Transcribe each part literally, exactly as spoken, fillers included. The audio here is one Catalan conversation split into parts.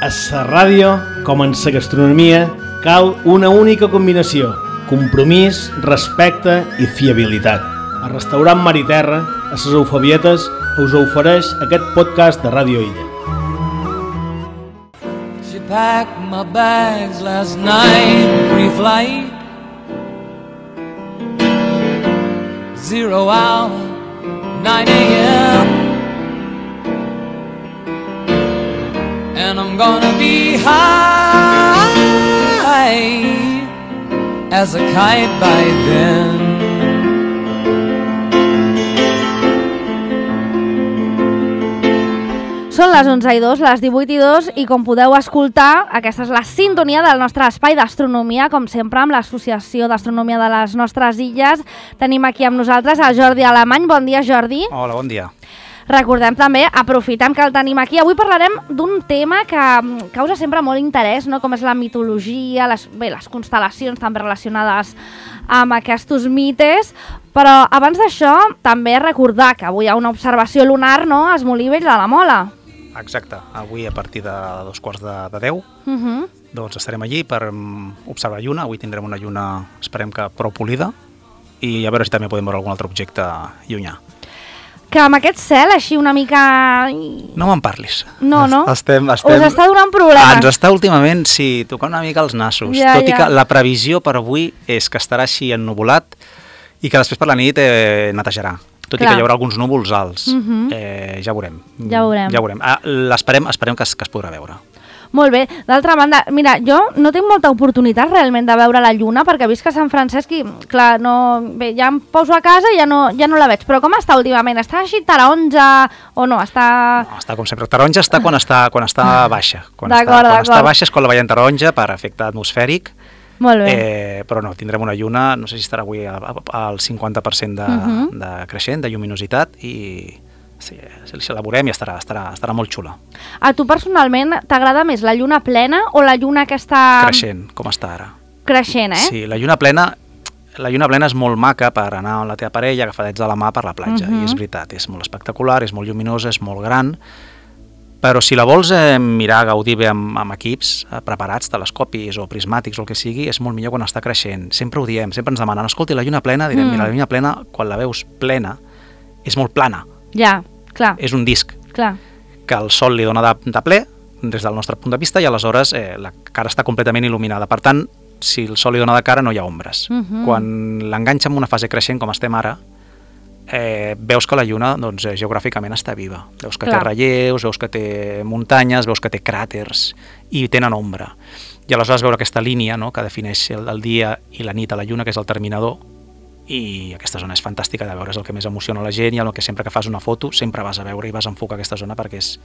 A la ràdio, com en la gastronomia, cal una única combinació: compromís, respecte i fiabilitat. El restaurant Mar i Terra, a les Eufabietes, us ofereix aquest podcast de Ràdio Illa. She packed my bags last night, pre-flight, zero hour, nine a.m. And I'm gonna be high as a kite by then. Són les onze i dos, les divuit i dos, i com podeu escoltar, aquesta és la sintonia del nostre espai d'astronomia, com sempre amb l'Associació d'Astronomia de les nostres illes. Tenim aquí amb nosaltres a Jordi Alemany. Bon dia, Jordi. Hola, bon dia. Recordem també, aprofitem que el tenim aquí, avui parlarem d'un tema que causa sempre molt interès, no? Com és la mitologia, les, bé, les constel·lacions també relacionades amb aquests mites, però abans d'això també recordar que avui hi ha una observació lunar, no?, a Esmolí Vell de la Mola. Exacte, avui a partir de dos quarts de, de deu, Uh-huh. doncs estarem allí per um, observar lluna. Avui tindrem una lluna, esperem que prou polida, i a veure si també podem veure algun altre objecte llunyà. Que amb aquest cel així una mica... No me'n parlis. No, no? Estem, estem... Us està donant problemes. Ens està últimament, sí, tocant una mica els nassos. Ja, tot ja. i que la previsió per avui és que estarà així ennuvolat i que després per la nit eh, netejarà. Tot Clar. i que hi haurà alguns núvols alts. Mhm. eh, ja veurem. Ja veurem. Ja veurem. Ah, l'esperem, esperem que es, que es podrà veure. Molt bé. D'altra banda, mira, jo no tinc molta oportunitat realment de veure la lluna, perquè visc a Sant Francesc i, clar, no... Bé, ja em poso a casa i ja no, ja no la veig. Però com està últimament? Està així taronja o no? Està... No, està com sempre. Taronja està quan està, quan està baixa. Quan, està, D'acord, quan està d'acord. baixa és quan la veiem taronja per efecte atmosfèric. Molt bé. Eh, però no, tindrem una lluna, no sé si estarà avui al, al cinquanta per cent de, Mhm. de creixent, de lluminositat, i sí, si la veurem i estarà, estarà, estarà molt xula. A tu personalment t'agrada més la lluna plena o la lluna que està... Creixent, com està ara. Creixent, eh? Sí, la lluna plena... La lluna plena és molt maca per anar amb la teva parella agafadets de la mà per la platja, Mhm. i és veritat, és molt espectacular, és molt lluminosa, és molt gran, però si la vols eh, mirar, gaudir bé amb, amb equips eh, preparats, telescopis o prismàtics o el que sigui, és molt millor quan està creixent. Sempre ho diem, sempre ens demanen, escolti, la lluna plena, direm, Mm. mira, la lluna plena, quan la veus plena, és molt plana, Ja, clar, és un disc clar. que el sol li dona de, de ple, des del nostre punt de vista, i aleshores eh, la cara està completament il·luminada. Per tant, si el sol li dona de cara, no hi ha ombres. Mhm. Quan l'enganxa en una fase creixent, com estem ara, eh, veus que la lluna doncs, eh, geogràficament està viva. Veus que Clar. té relleus, veus que té muntanyes, veus que té cràters i tenen ombra. I aleshores veure aquesta línia, no?, que defineix el, el dia i la nit a la lluna, que és el terminador, i aquesta zona és fantàstica de veure, és el que més emociona la gent, i el que sempre que fas una foto sempre vas a veure i vas a enfocar aquesta zona perquè és,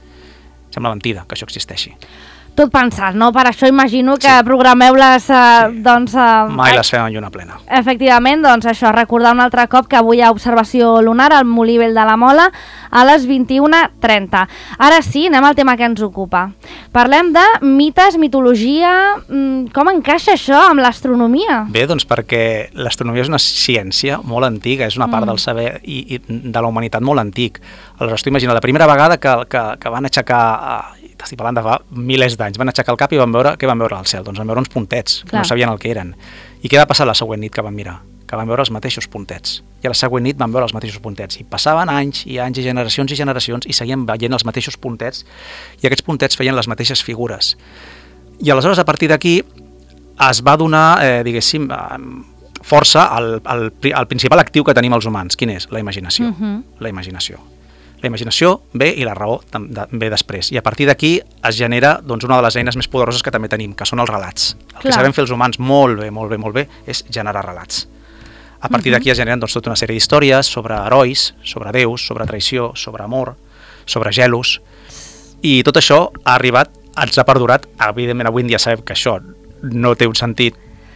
sembla mentida que això existeixi. Tot pensat, no? Per això imagino que Sí. programeu les... Eh, Sí. doncs, eh, Mai les fem en lluna plena. Efectivament, doncs això, recordar un altre cop que avui hi ha observació lunar al Molí Vell de la Mola a les vint-i-una trenta. Ara sí, anem al tema que ens ocupa. Parlem de mites, mitologia... mm, Com encaixa això amb l'astronomia? Bé, doncs perquè l'astronomia és una ciència molt antiga, és una part Mm. del saber i, i de la humanitat molt antic. Aleshores, tu imagina, la primera vegada que, que, que van aixecar, eh, estic parlant de fa milers d'anys, van aixecar el cap i van veure, què van veure al cel? Doncs van veure uns puntets, que Clar. no sabien el que eren. I què va passar la següent nit que van mirar? Que van veure els mateixos puntets. I a la següent nit van veure els mateixos puntets. I passaven anys i anys i generacions i generacions i seguien veient els mateixos puntets, i aquests puntets feien les mateixes figures. I aleshores, a partir d'aquí, es va donar, eh, diguéssim, eh, força al, al, al principal actiu que tenim els humans. Quin és? La imaginació. Mhm. La imaginació. La imaginació ve i la raó tam- de- ve després. I a partir d'aquí es genera doncs, una de les eines més poderoses que també tenim, que són els relats. El Clar. que sabem fer els humans molt bé, molt bé, molt bé, és generar relats. A partir Mhm. d'aquí es generen doncs, tota una sèrie d'històries sobre herois, sobre déus, sobre traïció, sobre amor, sobre gelos, i tot això ha arribat, ens ha perdurat. Evidentment, avui en dia sabem que això no té un sentit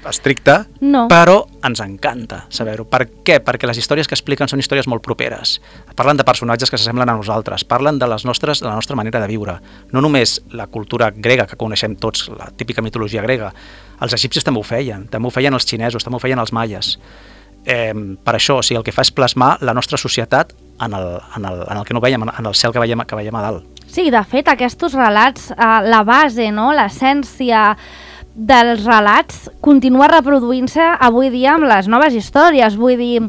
estricte, No. però ens encanta saber-ho. Per què? Perquè les històries que expliquen són històries molt properes. Parlen de personatges que s'assemblen a nosaltres, parlen de les nostres, de la nostra manera de viure. No només la cultura grega, que coneixem tots, la típica mitologia grega. Els egipcis també ho feien, també ho feien els xinesos, també ho feien els maies. Eh, per això, o sigui, el que fa és plasmar la nostra societat en el, en el, en el que no veiem, en el cel que veiem, que veiem a dalt. Sí, de fet, aquests relats, eh, la base, no?, l'essència dels relats continua reproduint-se avui dia amb les noves històries. Vull dir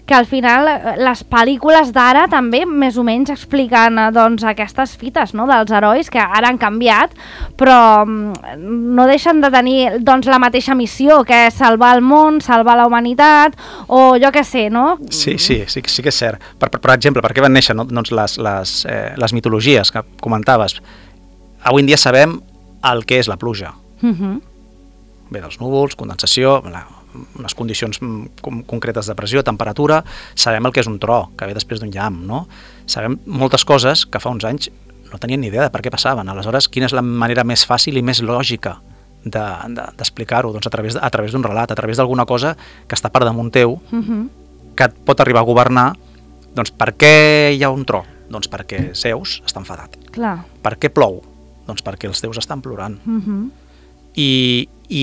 que al final les pel·lícules d'ara també més o menys expliquen doncs, aquestes fites, no?, dels herois que ara han canviat, però no deixen de tenir doncs, la mateixa missió, que és salvar el món, salvar la humanitat, o jo què sé, no? Sí, sí, sí, sí que és cert. Per, per, per exemple, per què van néixer, no? doncs les, les, eh, les mitologies que comentaves? Avui en dia sabem el que és la pluja. Uh-huh. Ve dels núvols, condensació, la, unes condicions com, concretes de pressió, temperatura, sabem el que és un tro, que ve després d'un llamp, no? Sabem moltes coses que fa uns anys no tenien ni idea de per què passaven. Aleshores, quina és la manera més fàcil i més lògica de, de, d'explicar-ho? Doncs a través, a través d'un relat, a través d'alguna cosa que està per damunt teu, uh-huh. que et pot arribar a governar. Doncs per què hi ha un tro? Doncs perquè Zeus està enfadat. Clar. Per què plou? Doncs perquè els déus estan plorant. Uh-huh. I, i,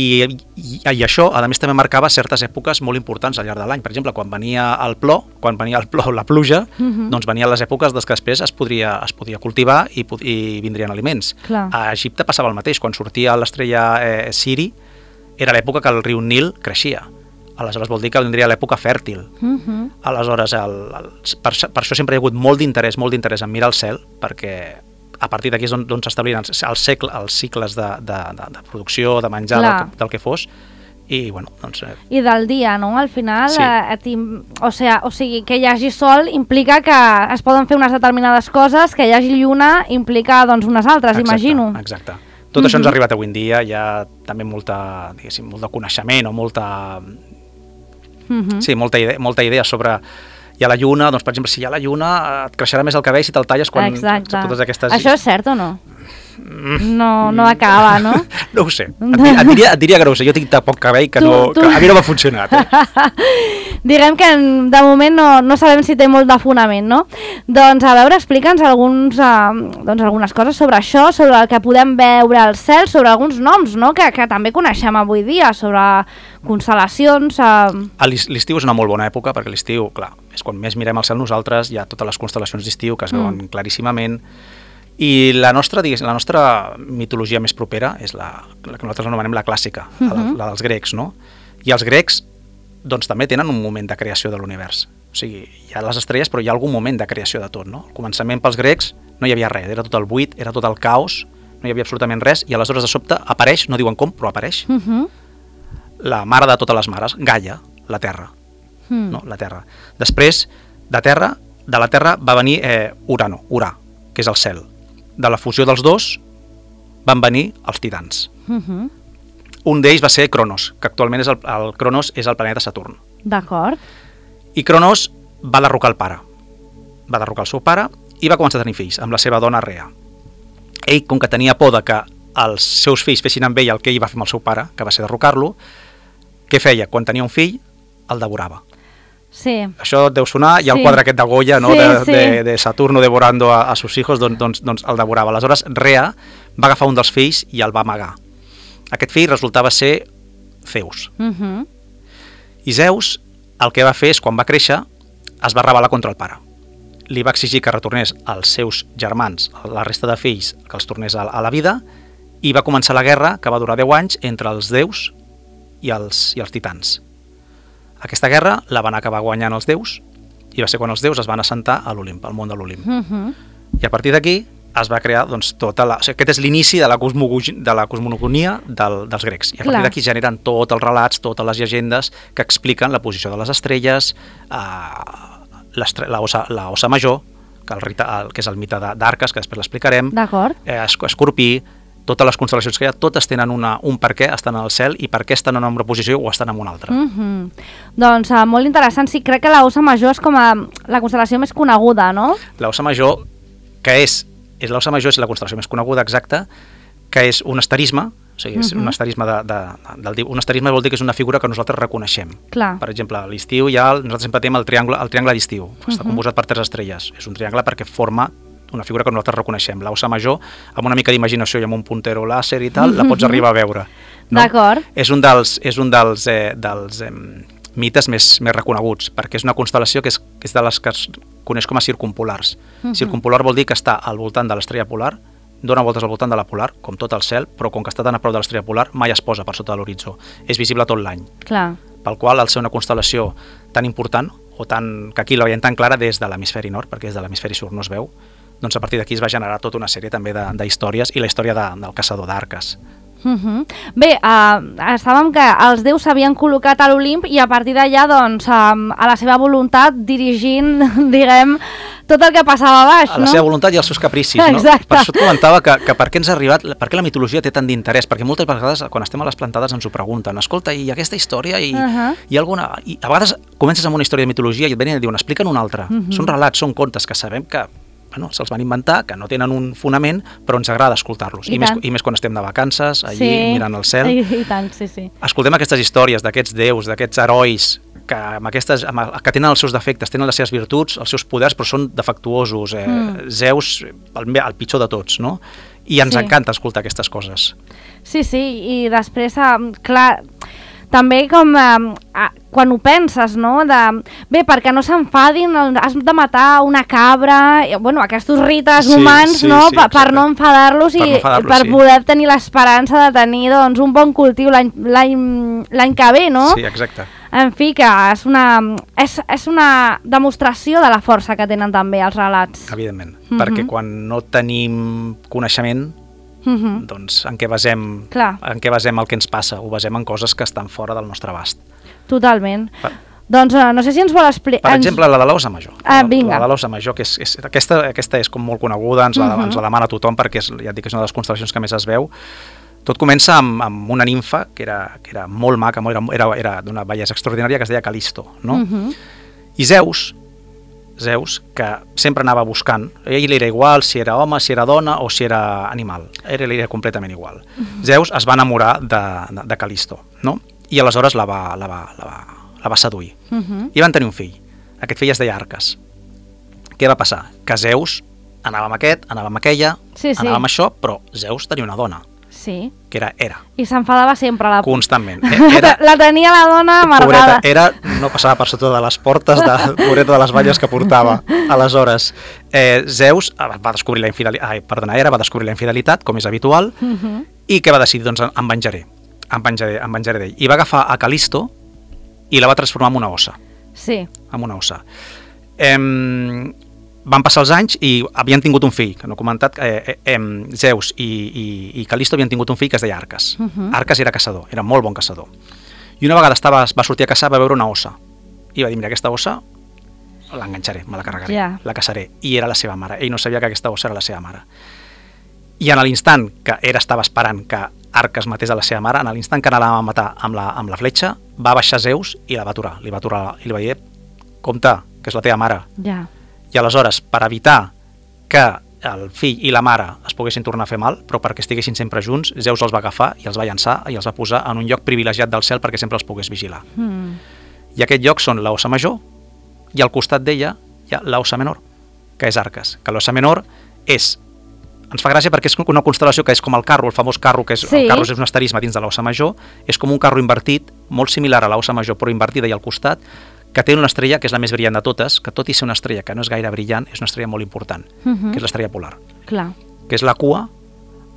i, i això, a més, també marcava certes èpoques molt importants al llarg de l'any. Per exemple, quan venia el plor, quan venia el plor, la pluja, uh-huh. doncs venien les èpoques des que després es podria, es podia cultivar i, i vindrien aliments. Clar. A Egipte passava el mateix. Quan sortia l'estrella eh, Siri, era l'època que el riu Nil creixia. Aleshores vol dir que vindria l'època fèrtil. Uh-huh. Aleshores, el, el, per, per això sempre hi ha hagut molt d'interès, molt d'interès en mirar el cel, perquè a partir d'aquí és on, on s'establien els, els, segle, els cicles de, de, de, de producció, de menjar, del que, del que fos, i bueno, doncs... Eh. I del dia, no? Al final, sí. eh, o, sea, o sigui, que hi hagi sol implica que es poden fer unes determinades coses, que hi hagi lluna implica doncs unes altres, exacte, imagino. Exacte. Tot uh-huh. això ens ha arribat avui en dia, hi ha també molta, diguéssim, molt de coneixement o molta... Uh-huh. Sí, molta idea, molta idea sobre... Hi ha la lluna, doncs per exemple, si hi ha la lluna et creixerà més el cabell si te'l talles quan... Exacte. Totes aquestes... Això és cert o no? No, no acaba, no? No ho sé, et, dir, et, diria, et diria que no ho sé, jo tinc tan poc cabell que, tu, no, tu... que a mi no m'ha funcionat. Eh? Diguem que de moment no, no sabem si té molt de fonament, no? Doncs a veure, explica'ns alguns, uh, doncs, algunes coses sobre això, sobre el que podem veure al cel, sobre alguns noms, no? Que, que també coneixem avui dia, sobre constel·lacions... Uh... L'estiu és una molt bona època, perquè l'estiu, clar, és quan més mirem al cel nosaltres, hi ha totes les constel·lacions d'estiu que es veuen mm. claríssimament, i la nostra, la nostra mitologia més propera és la, la que nosaltres anomenem la clàssica, uh-huh. la, la dels grecs, no? I els grecs doncs, també tenen un moment de creació de l'univers. O sigui, hi ha les estrelles, però hi ha algun moment de creació de tot, no? Al començament pels grecs no hi havia res, era tot el buit, era tot el caos, no hi havia absolutament res, i aleshores de sobte apareix, no diuen com, però apareix, uh-huh. la mare de totes les mares, Gaia, la Terra. Uh-huh. No? La Terra. Després, de Terra, de la Terra va venir eh, Urano, Urà, que és el cel. De la fusió dels dos van venir els titans. Uh-huh. Un d'ells va ser Cronos, que actualment és el, el Cronos és el planeta Saturn. D'acord. I Cronos va derrocar el pare. Va derrocar el seu pare i va començar a tenir fills amb la seva dona Rea. Ell, com que tenia por de que els seus fills fessin amb ell el que ell va fer amb el seu pare, que va ser derrocar-lo, què feia? Quan tenia un fill, el devorava. Sí. Això deu sonar, hi ha el sí. quadre aquest de Goya, no? sí, de, sí. de, de Saturno devorando a, a sus hijos, doncs, doncs, doncs el devorava. Aleshores, Rea va agafar un dels fills i el va amagar. Aquest fill resultava ser Zeus. Uh-huh. I Zeus el que va fer és, quan va créixer, es va rebel·lar contra el pare. Li va exigir que retornés als seus germans, a la resta de fills, que els tornés a, a la vida, i va començar la guerra, que va durar deu anys, entre els déus i els, i els titans. Aquesta guerra la van acabar guanyant els déus, i va ser quan els déus es van assentar a l'Olimp, al món de l'Olimp. Uh-huh. I a partir d'aquí es va crear doncs, tota la... O sigui, aquest és l'inici de la, de la cosmogonia del, dels grecs. I a partir d'aquí generen tots els relats, totes les llegendes que expliquen la posició de les estrelles, eh, la, osa, la osa major, que, el, el, que és el mite d'Arques, que després l'explicarem, eh, Escorpí, totes les constel·lacions que hi ha, totes tenen una, un per què estan al cel i per què estan en una posició o estan en una altra. Mm-hmm. Doncs uh, molt interessant. Sí, crec que la Osa Major és com a la constel·lació més coneguda, no? La Osa Major, que és, és la Osa Major és la constel·lació més coneguda, exacta, que és un asterisme, o sigui, és mm-hmm. un asterisme de, de, de, de, un asterisme vol dir que és una figura que nosaltres reconeixem. Clar. Per exemple, a l'estiu ja nosaltres sempre tenim el triangle, el triangle d'estiu, mm-hmm. està composat per tres estrelles. És un triangle perquè forma una figura que nosaltres reconeixem. L'Osa Major, amb una mica d'imaginació i amb un puntero làser i tal, la pots arribar a veure. No? D'acord. És un dels, és un dels, eh, dels eh, mites més, més reconeguts, perquè és una constel·lació que és, que és de les que es coneix com a circumpolars. Mhm. Circumpolar vol dir que està al voltant de l'estrella polar, dona voltes al voltant de la polar, com tot el cel, però com que està tan a prop de l'estrella polar, mai es posa per sota de l'horitzó. És visible tot l'any. Clar. Pel qual, al ser una constel·lació tan important, o tan, que aquí la veiem tan clara des de l'hemisferi nord, perquè des de l'hemisferi sud no es veu, doncs a partir d'aquí es va generar tota una sèrie també de, de històries i la història de, del caçador d'arques. Uh-huh. Bé, uh, estàvem que els déus s'havien col·locat a l'Olimp i a partir d'allà, doncs, um, a la seva voluntat, dirigint, diguem, tot el que passava a baix, A no? la seva voluntat i els seus capricis, no? Exacte. Per això et comentava que, que per què ens ha arribat, per què la mitologia té tant d'interès, perquè moltes vegades quan estem a les plantades ens ho pregunten, escolta, i aquesta història, i, Uh-huh. i alguna... I a vegades comences amb una història de mitologia i et venen i et diuen, explica'n una altra. Uh-huh. Són relats, són contes que sabem que bueno, se'ls van inventar, que no tenen un fonament, però ens agrada escoltar-los. I I, més, tant. I més quan estem de vacances, allí, Sí. mirant el cel. I, i tant, sí, sí. Escoltem aquestes històries d'aquests déus, d'aquests herois, que, amb aquestes, amb, que tenen els seus defectes, tenen les seves virtuts, els seus poders, però són defectuosos. Eh? Mm. Zeus, el, el pitjor de tots, no? I ens Sí. encanta escoltar aquestes coses. Sí, sí, i després, eh, clar, també com eh, eh, quan ho penses, no? De, bé, perquè no s'enfadin, has de matar una cabra, i, bueno, aquests rites Sí, humans, sí, no? sí, per, per exacte. no enfadar-los i Per no enfadar-los, per sí. poder tenir l'esperança de tenir doncs, un bon cultiu l'any l'any l'any que ve, no? Sí, exacte. En fi, que és una, és, és una demostració de la força que tenen també els relats. Evidentment. Mhm. Perquè quan no tenim coneixement, Mhm. doncs en què basem, Clar. en què basem el que ens passa? Ho basem en coses que estan fora del nostre abast. Totalment. Per, Doncs eh, no sé si ens vol explicar... per exemple, la de l'Ossa Major. Ah, La- vinga. La de l'Ossa Major, que és, és, aquesta, aquesta és com molt coneguda, ens la, Mhm. ens la demana tothom perquè és, ja et dic que és una de les constel·lacions que més es veu. Tot comença amb, amb una nimfa que era, que era molt maca, era, era, era d'una bellesa extraordinària, que es deia Calisto, no? Mhm. I Zeus, Zeus, que sempre anava buscant, a ell li era igual si era home, si era dona o si era animal, era, li era completament igual. Zeus es va enamorar de, de, de Calisto, no? I aleshores la va, la va, la va, la va seduir. Mhm. I van tenir un fill. Aquest fill es deia Arques. Què va passar? Que Zeus anava amb aquest, anava amb aquella, Sí, sí. anava amb això, però Zeus tenia una dona, Sí. que era Hera, I s'enfadava sempre la... constantment. Eh, Era, la tenia la dona amargada. pobreta, Hera no passava per sota de les portes de pobreta de les valles que portava. Aleshores, eh, Zeus va descobrir la infidelitat, ai, perdona, Hera va descobrir la infidelitat, com és habitual, Mhm. i què va decidir? Doncs em venjaré, em venjaré, em venjaré d'ell. I va agafar a Calisto i la va transformar en una ossa, Sí. en una ossa. Em, van passar els anys i havien tingut un fill, que no he comentat, eh, eh, Zeus i, i, i Calisto havien tingut un fill que es deia Arques. Mhm. Arques era caçador, era molt bon caçador. I una vegada estava, va sortir a caçar, va veure una ossa. I va dir, mira, aquesta ossa l'enganxaré, me la carregaré, Ja. la caçaré. I era la seva mare. Ell no sabia que aquesta ossa era la seva mare. I en l'instant que era estava esperant que Arques matés a la seva mare, en l'instant que anava a matar amb la, amb la fletxa, va baixar Zeus i la va aturar. Li va aturar i li va dir, compte, que és la teva mare. Ja. I aleshores, per evitar que el fill i la mare es poguessin tornar a fer mal, però perquè estiguessin sempre junts, Zeus els va agafar i els va llançar i els va posar en un lloc privilegiat del cel perquè sempre els pogués vigilar. Mm. I aquest lloc són l'Ossa Major i al costat d'ella hi ha l'Ossa Menor, que és Arques. Que l'Ossa Menor és... Ens fa gràcia perquè és una constel·lació que és com el carro, el famós carro, que és, Sí. el carro és un asterisme dins de l'Ossa Major, és com un carro invertit, molt similar a l'Ossa Major, però invertida i al costat, que té una estrella que és la més brillant de totes, que tot i ser una estrella que no és gaire brillant, és una estrella molt important, Mhm. que és l'estrella polar, Clar. que és la cua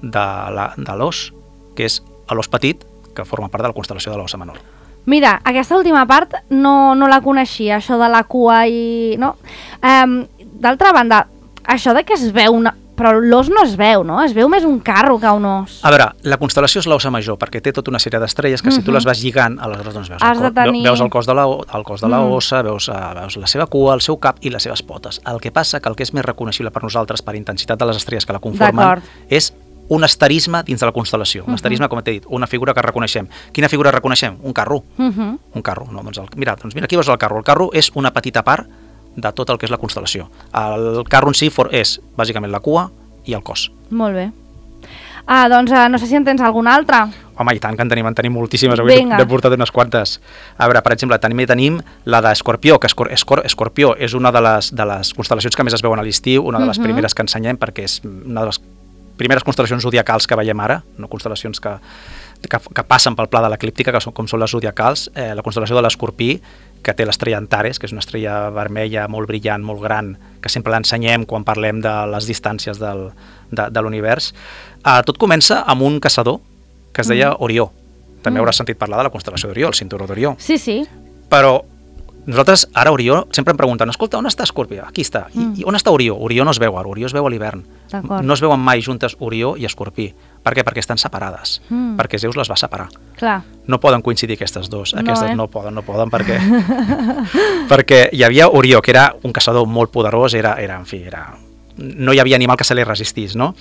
de la- de l'os, que és l'os petit, que forma part de la constel·lació de l'Ossa Menor. Mira, aquesta última part no, no la coneixia, això de la cua i... No? Um, D'altra banda, això de que es veu una... Però l'os no es veu, no? Es veu més un carro que un os. A veure, la constel·lació és l'Ossa Major, perquè té tota una sèrie d'estrelles que si tu Mhm. les vas lligant, aleshores doncs veus, Has el, de cos, tenir- veus el cos de la, el cos de la Mm. ossa, veus, uh, veus la seva cua, el seu cap i les seves potes. El que passa que el que és més reconeixible per nosaltres per intensitat de les estrelles que la conformen D'acord. és un asterisme dins de la constel·lació. Un Mhm. asterisme, com t'he dit, una figura que reconeixem. Quina figura reconeixem? Un carro. Mhm. Un carro. No? Doncs el, mira, doncs mira, aquí veus el carro. El carro és una petita part de tot el que és la constel·lació. El carro en si for, és bàsicament la cua i el cos. Molt bé. Ah, doncs uh, no sé si en tens alguna altra. Home, i tant que en tenim, en tenim moltíssimes, avui Vinga. n'he portat unes quantes. A veure, per exemple, també tenim la d'Escorpió, que Escor Escor Escorpió és una de les, de les constel·lacions que més es veuen a l'estiu, una de les Mhm. primeres que ensenyem, perquè és una de les primeres constel·lacions zodiacals que veiem ara, no constel·lacions que, que, que passen pel pla de l'eclíptica, que són, com són les zodiacals, eh, la constel·lació de l'Escorpí, que té l'estrella Antares, que és una estrella vermella molt brillant, molt gran, que sempre l'ensenyem quan parlem de les distàncies del, de, de l'univers. Eh, tot comença amb un caçador que es deia mm. Orió. També mm. hauràs sentit parlar de la constel·lació d'Orió, el cinturó d'Orió. Sí, sí. Però nosaltres, ara Orió, sempre em pregunten, escolta, on està Escorpí? Aquí està. Mm. I, I on està Orió? Orió no es veu ara, Orió es veu a l'hivern. No es veuen mai juntes Orió i Escorpí. Per què? Perquè estan separades. Mm. Perquè Zeus les va separar. Clar. No poden coincidir aquestes dues. Aquestes no, eh? no poden, no poden, perquè... perquè hi havia Orió, que era un caçador molt poderós, era, era en fi, era... no hi havia animal que se li resistís, no?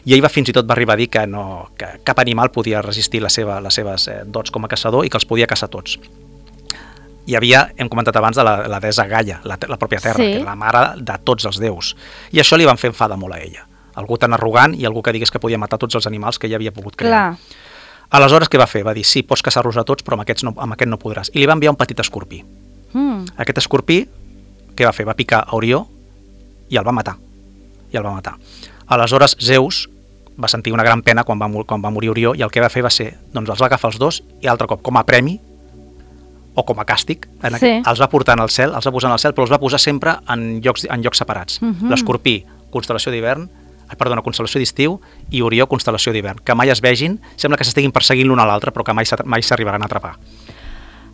I ell va fins i tot va arribar a dir que, no, que cap animal podia resistir la seva, les seves eh, dots com a caçador i que els podia caçar tots. Hi havia, hem comentat abans, de la, la deessa Gaia, la, la pròpia Terra, sí. que era la mare de tots els déus. I això li van fer enfadar molt a ella. Algú tan arrogant i algú que digués que podia matar tots els animals que ella havia pogut crear. Clar. Aleshores, què va fer? Va dir, sí, pots caçar-los a tots, però amb, aquests no, amb aquest no podràs. I li va enviar un petit escorpí. Mm. Aquest escorpí, què va fer? Va picar a Orió i el va matar. I el va matar. Aleshores, Zeus va sentir una gran pena quan va, quan va morir Orió i el que va fer va ser, doncs els va agafar els dos i altre cop, com a premi o com a càstig, en sí. els va portar al cel, els va posar en el cel, però els va posar sempre en llocs, en llocs separats. Uh-huh. L'Escorpí, constel·lació d'hivern, perdona, constel·lació d'estiu, i Orió, constel·lació d'hivern. Que mai es vegin, sembla que s'estiguin perseguint l'un a l'altre, però que mai, mai s'arribaran a atrapar.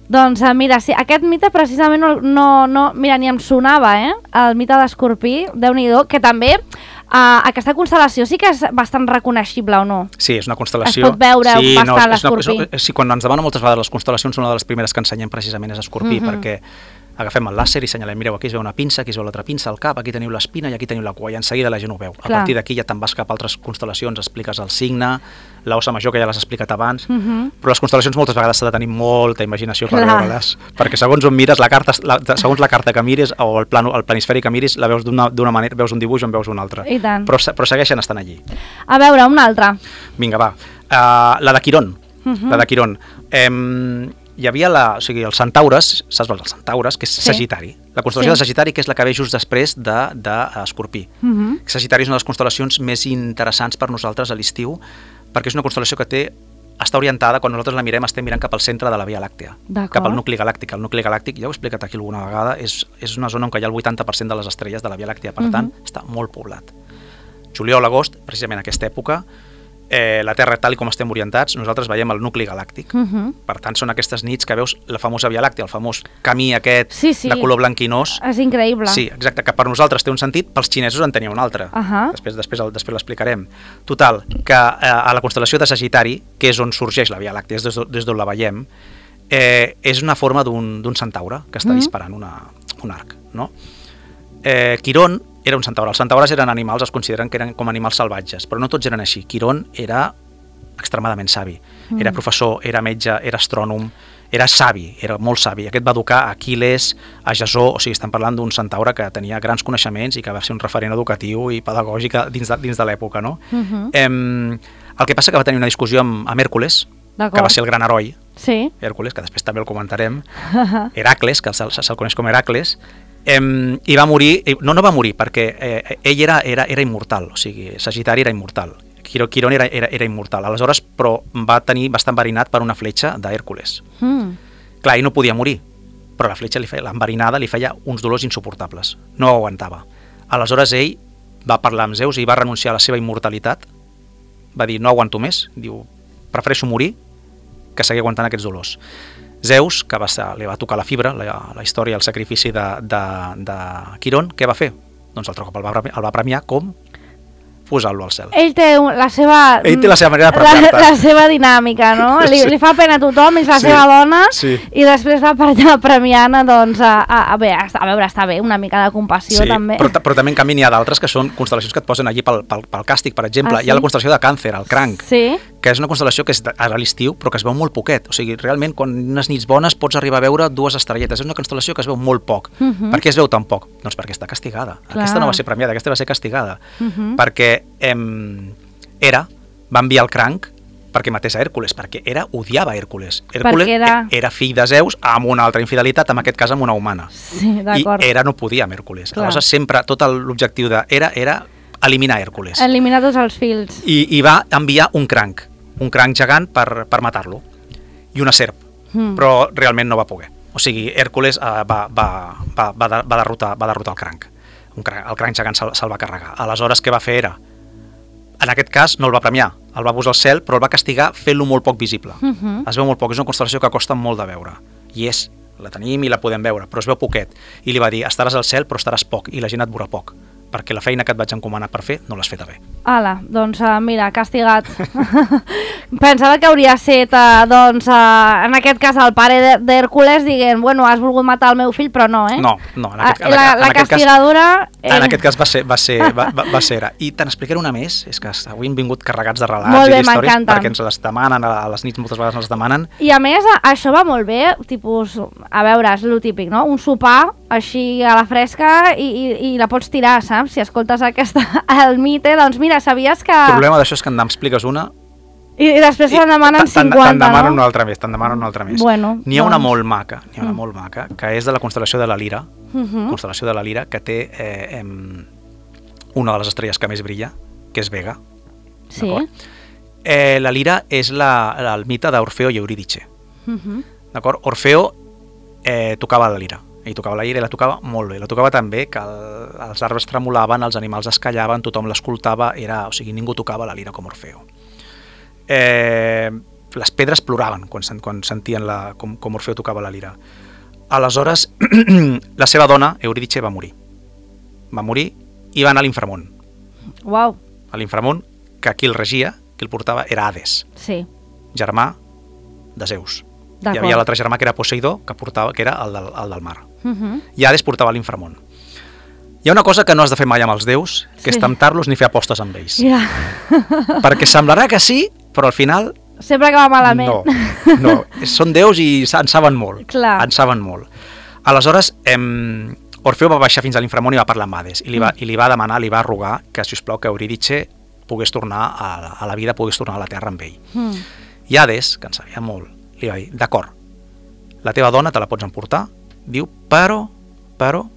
Doncs mira, sí, aquest mite precisament no, no, no mira, ni em sonava, eh? El mite d'Escorpí, Déu-n'hi-do, que també uh, aquesta constel·lació sí que és bastant reconeixible, o no? Sí, és una constel·lació... Es pot veure sí, bastant no, l'Escorpí. Sí, quan ens demanen moltes vegades les constel·lacions, una de les primeres que ensenyem precisament és Escorpí, mm-hmm. perquè agafem el làser i senyalem, mireu, aquí es veu una pinça, aquí es veu l'altra pinça, el cap, aquí teniu l'espina i aquí teniu la cua, i en seguida la gent ho veu. Clar. A partir d'aquí ja te'n vas cap a altres constel·lacions, expliques el signe, l'ossa major, que ja l'has explicat abans, mm-hmm. però les constel·lacions moltes vegades s'ha de tenir molta imaginació per veure-les, perquè segons on mires, la carta, la, segons la carta que miris o el, plano, el planisferi que miris, la veus d'una manera, veus un dibuix o en veus un altre. I tant. Però, però segueixen estant allí. A veure, una altra. Vinga, va. Uh, la de Quirón. Mm-hmm. La de Quirón. Um, hi havia la, o sigui, els centaures, saps els centaures, que és sí. Sagitari. La constel·lació sí. de Sagitari, que és la que ve just després d'Escorpí. De, de uh-huh. Sagitari és una de les constel·lacions més interessants per nosaltres a l'estiu, perquè és una constel·lació que té, està orientada, quan nosaltres la mirem, estem mirant cap al centre de la Via Làctea, cap al nucli galàctic. El nucli galàctic, ja ho he explicat aquí alguna vegada, és, és una zona on hi ha el vuitanta per cent de les estrelles de la Via Làctea, per uh-huh. tant, està molt poblat. Juliol, agost, precisament aquesta època, Eh, la Terra, tal com estem orientats, nosaltres veiem el nucli galàctic. Uh-huh. Per tant, són aquestes nits que veus la famosa Via Làctea, el famós camí aquest sí, sí. de color blanquinós. És increïble. Sí, exacte, que per nosaltres té un sentit, pels xinesos en tenia un altre. Uh-huh. Després, després, després l'explicarem. Total, que eh, a la constel·lació de Sagitari, que és on sorgeix la Via Làctea, des, des d'on la veiem, eh, és una forma d'un centaure que està uh-huh. disparant una, un arc. No? Eh, Quirón era un centaure. Els centaures eren animals, es consideren que eren com animals salvatges, però no tots eren així. Quirón era extremadament savi. Mm. Era professor, era metge, era astrònom, era savi, era molt savi. Aquest va educar a Aquil·les, a Jasó, o sigui, estem parlant d'un centaure que tenia grans coneixements i que va ser un referent educatiu i pedagògic dins de, dins de l'època, no? Mm-hmm. Eh, el que passa que va tenir una discussió amb, amb Hèrcules, que va ser el gran heroi, sí. Hèrcules, que després també el comentarem, Heracles, que se'l se coneix com Heracles, Eh, i va morir, no, no va morir perquè eh, ell era, era, era immortal, o sigui, Sagitari era immortal, Quirón era, era, era immortal, aleshores però va tenir, va estar enverinat per una fletxa d'Hèrcules. Mm. Clar, ell no podia morir, però la fletxa, li feia, l'enverinada li feia uns dolors insuportables, no ho aguantava. Aleshores ell va parlar amb Zeus i va renunciar a la seva immortalitat, va dir no aguanto més, diu prefereixo morir que seguir aguantant aquests dolors. Zeus, que va ser, li va tocar la fibra, la, la història, el sacrifici de, de, de Quirón, què va fer? Doncs altre cop el va, el va premiar com posant-lo al cel. Ell té la seva... Ell té la seva manera de premiar-te. La, la seva dinàmica, no? Li, sí. li fa pena a tothom, és la sí. seva dona, sí. i després va premiant, doncs, a, a, a, bé, a veure, està bé, una mica de compassió, sí, també. Però, però també en canvi n'hi ha d'altres que són constel·lacions que et posen allí pel, pel, pel càstig, per exemple. Ah, sí? Hi ha la constel·lació de Càncer, el cranc, sí? que és una constel·lació que és a l'estiu, però que es veu molt poquet. O sigui, realment, quan unes nits bones pots arribar a veure dues estrelletes. És una constel·lació que es veu molt poc. Uh-huh. Per què es veu tan poc? Doncs perquè està castigada. Clar. Aquesta no va ser premiada, aquesta va ser castigada. Uh-huh. Perquè em, Hera va enviar el cranc perquè matés a Hèrcules, perquè Hera odiava a Hèrcules. Hèrcules era... era fill de Zeus amb una altra infidelitat, en aquest cas amb una humana. Sí, I Hera no podia amb Hèrcules. Clar. Aleshores, sempre, tot l'objectiu de Hera era eliminar Hèrcules. Eliminar tots els fils. I, i va enviar un cranc, un cranc gegant per, per matar-lo, i una serp, mm. però realment no va poder. O sigui, Hèrcules uh, va, va, va, va, va, derrotar, va derrotar el cranc. Un cranc. El cranc gegant se'l, se'l va carregar. Aleshores, què va fer era? En aquest cas, no el va premiar, el va posar al cel, però el va castigar fent-lo molt poc visible. Uh -huh. Es veu molt poc, és una constel·lació que costa molt de veure. I és, la tenim i la podem veure, però es veu poquet. I li va dir, estaràs al cel, però estaràs poc, i la gent et veurà poc, perquè la feina que et vaig encomanar per fer no l'has feta bé. Ala, doncs uh, mira, castigat. Pensava que hauria estat, uh, doncs, uh, en aquest cas, el pare d'Hèrcules dient, bueno, has volgut matar el meu fill, però no, eh? No, no. En aquest, uh, la en la aquest castigadora... Cas, en aquest cas va ser, va ser, va, va, va ser era. I te n'explicaré una més, és que avui hem vingut carregats de relats molt bé, i d'històries perquè m'encanten. ens les demanen, a les nits moltes vegades ens les demanen. I a més, això va molt bé, tipus, a veure, és lo típic, no? Un sopar així a la fresca i, i, i la pots tirar, saps? Si escoltes aquesta, el mite, doncs mira, sabies que... El problema d'això és que en expliques una... I, i després te'n demanen cinquanta, te'n demanen no? una altra més, te'n demanen una altra més. Bueno, n'hi ha doncs... una molt maca, n'hi ha una Mm. molt maca, que és de la constel·lació de la Lira, Uh -huh. constel·lació de la Lira, que té eh, em, una de les estrelles que més brilla, que és Vega. Sí. Eh, la Lira és la, la, el mite d'Orfeo i Eurídice. Uh -huh. D'acord? Orfeo eh, tocava la lira, ell tocava la lira i la tocava molt bé, la tocava tan bé que el, els arbres tremolaven, els animals es callaven, tothom l'escoltava, era, o sigui, ningú tocava la lira com Orfeo. Eh, les pedres ploraven quan, quan sentien la, com, com Orfeo tocava la lira. Aleshores, la seva dona, Eurídice, va morir. Va morir i va anar a l'Inframont. Uau. A l'Inframont, que qui el regia, qui el portava, era Hades, Sí. germà de Zeus. Hi D'acord. havia l'altre germà que era Poseidó, que, portava, que era el del, el del mar. Uh -huh. I Hades portava l'Inframont. Hi ha una cosa que no has de fer mai amb els déus, que Sí. és temptar-los ni fer apostes amb ells. Ja. Perquè semblarà que sí, però al final Sempre acaba malament. no. no. Són déus i en saben molt. Clar. En saben molt. Aleshores, em, Orfeu va baixar fins a l'Inframont i va parlar amb Hades i li va, Mm. i li va demanar, li va rogar que, si us plau, que Eurídice pogués tornar a la, a la vida, pogués tornar a la Terra amb ell. Mm. I Hades, que en sabia molt, li va dir, d'acord, la teva dona te la pots emportar, diu, però, però,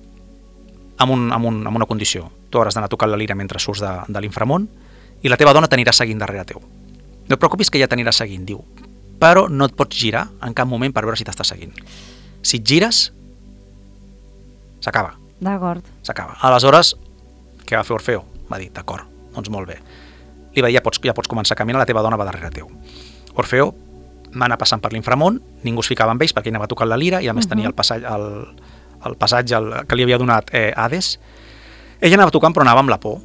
amb, un, amb, un, amb una condició. Tu hauràs d'anar tocant la lira mentre surts de, de l'Inframont i la teva dona t'anirà seguint darrere teu. No et preocupis que ja t'anirà seguint, diu, però no et pots girar en cap moment per veure si t'està seguint. Si et gires, s'acaba. D'acord. S'acaba. Aleshores, què va fer Orfeu? Va dir, d'acord, doncs molt bé. Li va dir, ja pots, ja pots començar a caminar, la teva dona va darrere teu. Orfeu va anar passant per l'Inframont, ningú es ficava amb ells perquè ell anava tocant la lira i a més uh -huh. tenia el passatge, el, el passatge el, que li havia donat eh, Hades. Ella anava tocant però anava amb la por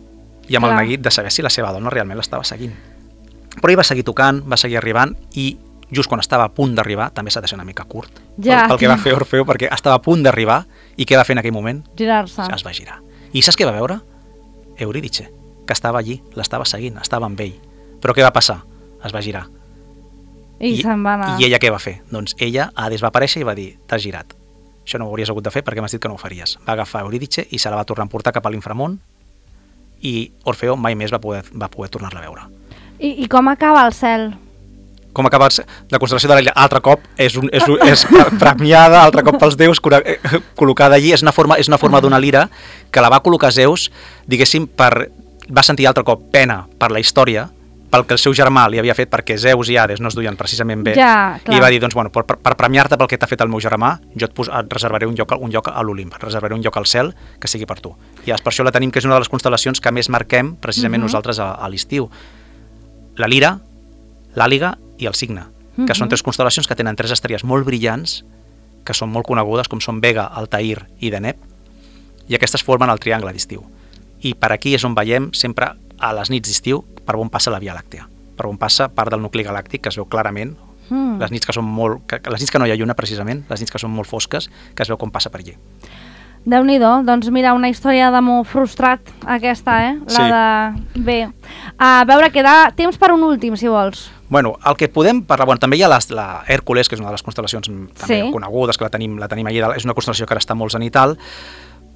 i amb Clar. el neguit de saber si la seva dona realment l'estava seguint. Però ell va seguir tocant, va seguir arribant i just quan estava a punt d'arribar, també s'ha de ser una mica curt, Ja. pel, pel que va fer Orfeu, perquè estava a punt d'arribar i què va fer en aquell moment? Girar-se. Es va girar. I saps què va veure? Eurídice, que estava allí, l'estava seguint, estava amb ell. Però què va passar? Es va girar. I, I se'n va anar. I ella què va fer? Doncs ella, Hades, va aparèixer i va dir, t'has girat. Això no ho hauries hagut de fer perquè m'has dit que no ho faries. Va agafar Eurídice i se la va tornar a portar cap a l'Inframont i Orfeu mai més va poder, va poder tornar-la a veure. I, I com acaba el cel? Com acaba la constel·lació de la Lira? Altre cop és, un, és, un, és premiada, altre cop pels déus, col·locada allí. És una forma, és una forma d'una lira que la va col·locar Zeus, diguéssim, per, va sentir altre cop pena per la història, pel que el seu germà li havia fet, perquè Zeus i Hades no es duien precisament bé, Ja, clar. i va dir, doncs, bueno, per, per premiar-te pel que t'ha fet el meu germà, jo et, pos, et reservaré un lloc, un lloc a l'Olimp, et reservaré un lloc al cel que sigui per tu. I per això la tenim, que és una de les constel·lacions que més marquem precisament uh -huh. nosaltres a, a l'estiu. La Lira, l'Àliga i el Cigne, que uh -huh. són tres constel·lacions que tenen tres estrelles molt brillants, que són molt conegudes, com són Vega, Altair i Deneb, i aquestes formen el triangle d'estiu. I per aquí és on veiem sempre a les nits d'estiu per on passa la Via Làctea, per on passa part del nucli galàctic, que es veu clarament, Mm. les nits que són molt, que, les nits que no hi ha lluna precisament, les nits que són molt fosques, que es veu com passa per allí. Déu-n'hi-do, doncs mira, una història d'amor frustrat aquesta, eh? La de... Bé, a veure, queda temps per un últim, si vols. Bueno, el que podem parlar, bueno, també hi ha les, la Hèrcules, que és una de les constel·lacions també Sí. conegudes, que la tenim, la tenim allà dalt, és una constel·lació que ara està molt zenital,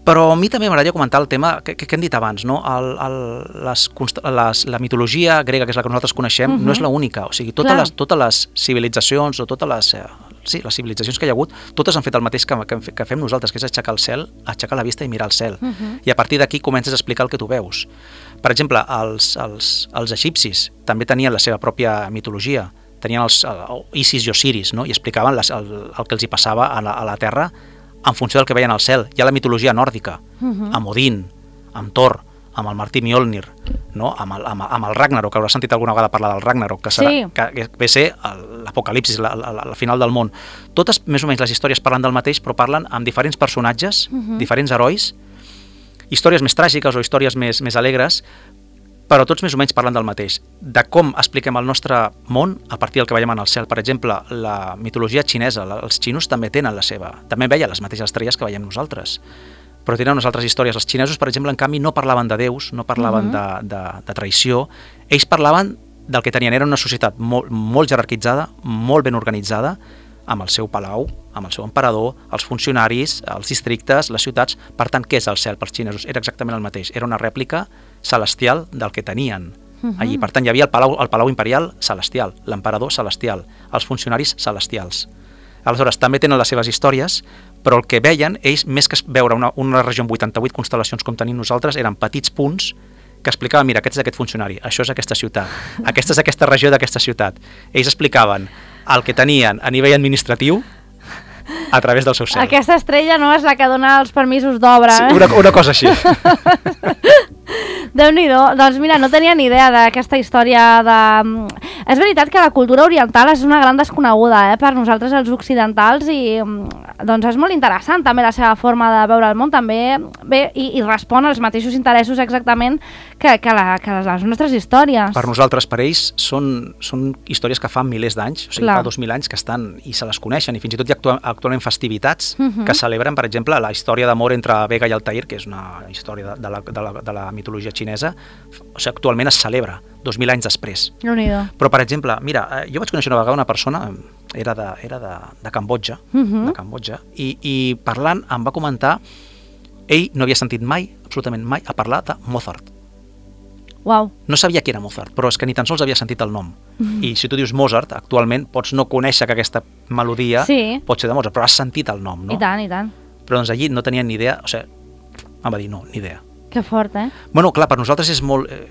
però a mi també m'agradaria comentar el tema que, que, que hem dit abans, no? el, el, les, les, la mitologia grega, que és la que nosaltres coneixem, uh -huh. no és l'única, o sigui, totes les, totes les civilitzacions o totes les, eh, sí, les civilitzacions que hi ha hagut, totes han fet el mateix que, que, que fem nosaltres, que és aixecar el cel, aixecar la vista i mirar el cel, uh -huh. i a partir d'aquí comences a explicar el que tu veus. Per exemple, els, els, els egipcis també tenien la seva pròpia mitologia, tenien els el, Isis i Osiris, no? I explicaven les, el, el que els hi passava a la, a la Terra en funció del que veien al cel. Hi ha la mitologia nòrdica, uh-huh. amb Odin, amb Thor, amb el Martí Mjolnir, no? amb, el, amb, amb el Ragnarok, que hauràs sentit alguna vegada parlar del Ragnarok, que, serà, sí. que, que ve a ser l'apocalipsis, la, la, la final del món. Totes, més o menys, les històries parlen del mateix, però parlen amb diferents personatges, uh-huh. diferents herois, històries més tràgiques o històries més, més alegres, però tots més o menys parlen del mateix, de com expliquem el nostre món a partir del que veiem en el cel. Per exemple, la mitologia xinesa, els xinos també tenen la seva, també veien les mateixes estrelles que veiem nosaltres, però tenen unes altres històries. Els xinesos, per exemple, en canvi, no parlaven de déus, no parlaven uh-huh. de, de, de traïció, ells parlaven del que tenien, era una societat molt, molt jerarquitzada, molt ben organitzada, amb el seu palau, amb el seu emperador, els funcionaris, els districtes, les ciutats. Per tant, què és el cel pels xinesos? Era exactament el mateix, era una rèplica celestial del que tenien uh-huh. allí. Per tant, hi havia el palau, el palau imperial celestial, l'emperador celestial, els funcionaris celestials. Aleshores, també tenen les seves històries, però el que veien, ells, més que veure una, una regió amb vuitanta-vuit constel·lacions com tenim nosaltres, eren petits punts que explicaven, mira, aquest és aquest funcionari, això és aquesta ciutat, aquesta és aquesta regió d'aquesta ciutat. Ells explicaven el que tenien a nivell administratiu a través del seu cel. Aquesta estrella no és la que dona els permisos d'obra, sí, eh? una, una cosa així. Déu-n'hi-do. Doncs mira, no tenia ni idea d'aquesta història de... És veritat que la cultura oriental és una gran desconeguda eh, per nosaltres els occidentals i doncs és molt interessant també la seva forma de veure el món també bé, i, i respon als mateixos interessos exactament que, que, la, que les nostres històries. Per nosaltres, per ells, són, són històries que fa milers d'anys, o sigui, Clar. fa dos mil anys que estan i se les coneixen i fins i tot hi ha actu actualment festivitats uh-huh. que celebren, per exemple, la història d'amor entre Vega i Altair, que és una història de, de, la, de, la, de la mitologia xinesa, o sigui, actualment es celebra dos mil anys després. Però, per exemple, mira, jo vaig conèixer una vegada una persona, era de, era de, de Cambodja, uh-huh. de Cambodja i, i parlant em va comentar, ell no havia sentit mai, absolutament mai, a parlar de Mozart. Wow. No sabia qui era Mozart, però és que ni tan sols havia sentit el nom. Uh-huh. I si tu dius Mozart, actualment pots no conèixer que aquesta melodia sí. pot ser de Mozart, però has sentit el nom, no? I tant, i tant. Però doncs allí no tenien ni idea, o sigui, em va dir no, ni idea. Que fort, eh? Bueno, clar, per nosaltres és molt... Eh,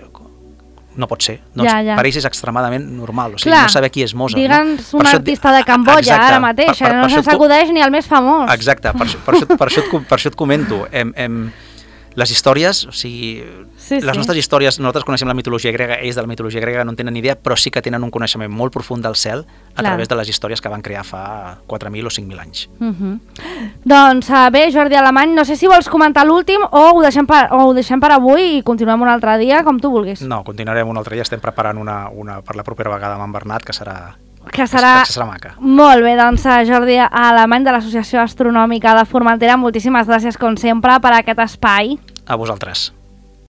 no pot ser. Doncs ja, ja. Per ells és extremadament normal, o sigui, clar, no saber qui és Mozart. Digue'ns no? un artista de Cambodja, exacte, ara mateix, per, per, no se s'acudeix ni el més famós. Exacte, per, per, això, per, això, et, per això et comento. Em, em, les històries, o sigui, sí, les sí. nostres històries, nosaltres coneixem la mitologia grega, ells de la mitologia grega no en tenen ni idea, però sí que tenen un coneixement molt profund del cel a clar. Través de les històries que van crear fa quatre mil o cinc mil anys. Uh -huh. Doncs uh, bé, Jordi Alemany, no sé si vols comentar l'últim o, ho deixem per, o ho deixem per avui i continuem un altre dia, com tu vulguis. No, continuarem un altre dia, estem preparant una, una per la propera vegada amb en Bernat, que serà... que serà, que serà maca. Molt bé, doncs Jordi Alemany de l'Associació Astronòmica de Formentera, moltíssimes gràcies com sempre per aquest espai. A vosaltres.